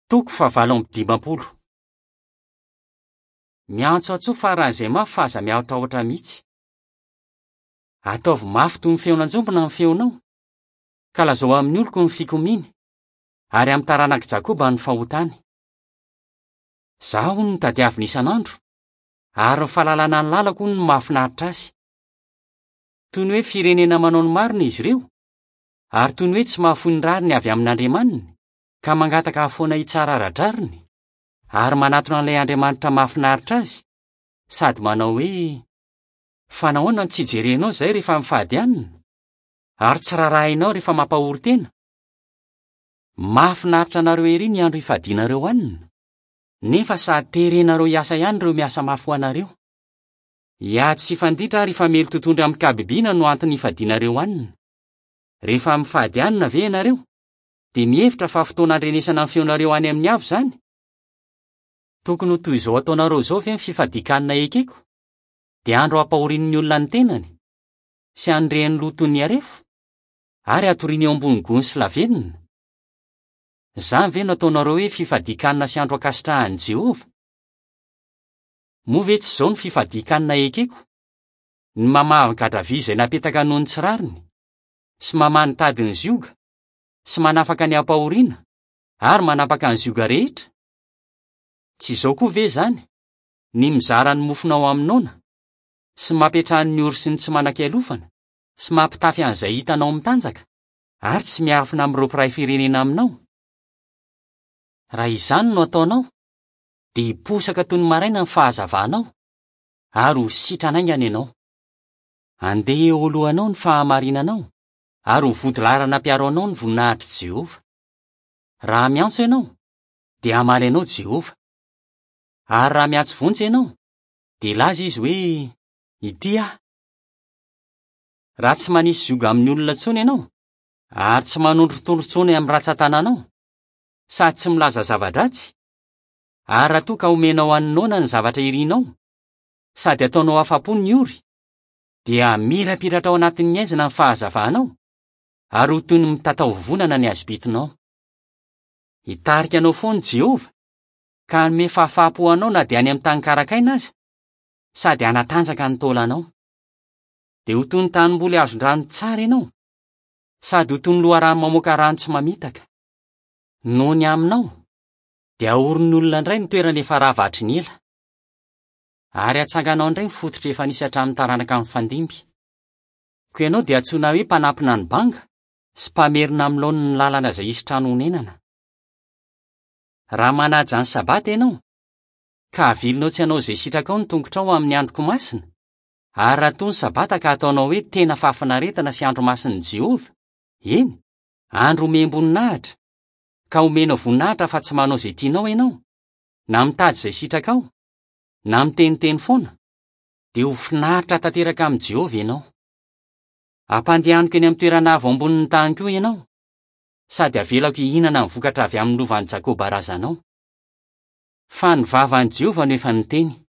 Toko fahavalo amby dimampolo. Miantsoantsoa faran'izay mafy fa aza miahotrahotra mihitsy. Ataovy mafy toy ny feon'anjombona ny feonao, ka lazao amin'ny oloko ny fikomiany, ary amin'ny taranak'i Jakoba ny fahotany. Izaho hono no tadiaviny isan'andro, ary ny fahalalana ny lalako hono no mahafinaritra azy. Toy ny hoe firenena manao ny marina izy ireo, ary toy ny hoe tsy mahafoy ny rariny avy amin'Andriamaniny, ka mangataka hahafoana hitsara ara-drariny, ary manatona an'ilay Andriamanitra mahafinaritra azy, sady manao hoe, Fa nahoana no tsy jerenao izay rehefa mifady hanina, ary tsy rarahinao rehefa mampahory tena? Mahafinaritra anareo ery ny andro ifadianareo hanina, nefa sady terenareo hiasa ihany ireo miasa mafy ho anareo. Hiady sy hifanditra ary hifamely totohondry amin-kabibiana no antony ifadianareo hanina. Rehefa mifady hanina ve ianareo, dia mihevitra fa fotoana andrenesana ny feonareo any amin'ny avo izany? Tokony ho toy izao ataonareo izao ve ny fifadian-kanina ekeko? Dia andro hampahorian'ny olona ny tenany, sy handrehany loha toy ny harefo, ary hatoriany eo ambony gony sy lavenona? Izany ve no ataonareo hoe fifadian-kanina sy andro ankasitrahan'i Jehovah? Moa ve tsy izao no fifadian-kanina ekeko? Ny mamaha ny gadra vy izay napetaka noho ny tsy rariny, sy mamaha ny tadin'ny zioga, sy manafaka ny ampahoriana, ary manapaka ny zioga rehetra? Tsy izao koa ve izany, ny mizara ny mofonao amin'ny noana, sy mampiantrano ny ory sy ny tsy manan-kialofana, sy mampitafy an'izay hitanao mitanjaka, ary tsy miafina amin'ireo mpiray firenena aminao? Raha izany no ataonao, dia hiposaka toy ny maraina ny fahazavanao, ary ho sitrana haingana ianao. Handeha eo alohanao ny fahamarinanao, ary ho vodilaharana mpiaro anao ny voninahitr'i Jehovah. Raha miantso ianao, dia hamaly anao Jehovah. Ary raha miantso vonjy ianao, dia hilaza izy hoe, Ity aho. Raha tsy manisy zioga amin'ny olona intsony ianao, ary tsy manondrotondro intsony amin'ny ratsan-tananao, sady tsy milaza zava-dratsy, ary raha toa ka omenao an'ny noana ny zavatra irinao, sady ataonao afa-po ny ory, dia hamirapiratra ao anatin'ny haizina ny fahazavanao, ary ho toy ny mitataovonana ny hazobitinao. Hitarika anao foana i Jehovah, ka hanome fahafaham-po anao na dia any amin'ny tany karakaina aza, sady hanatanjaka ny taolanao. Dia ho toy ny tanimboly azon-drano tsara ianao, sady ho toy ny loharano mamoaka rano tsy mamitaka. Noho ny aminao, dia haorin'ny olona indray ny toerana efa rava hatry ny ela. Ary hatsanganao indray ny fototra efa nisy hatramin'ny taranaka nifandimby. Koa ianao dia antsoina hoe mpanampina ny banga sy mpamerina amin'ny laoniny ny lalana izay hisy trano honenana. Raha manaja ny Sabata ianao, ka avilinao tsy hanao izay sitrakao ny tongotrao amin'ny androko masina, ary raha toa ny Sabata ka ataonao hoe tena fahafinaretana sy andro masin'i Jehovah, eny, andro omem-boninahitra, ka omenao voninahitra fa tsy manao izay tianao ianao, na mitady izay sitrakao, na miteniteny foana, dia ho finaritra tanteraka amin'i Jehovah ianao. Hampandehaniko eny amin'ny toerana avo ambonin'ny tany koa ianao, sady havelako hihinana ny vokatra avy amin'ny lovan'i Jakoba razanao. Fa ny vavan'i Jehovah no efa niteny.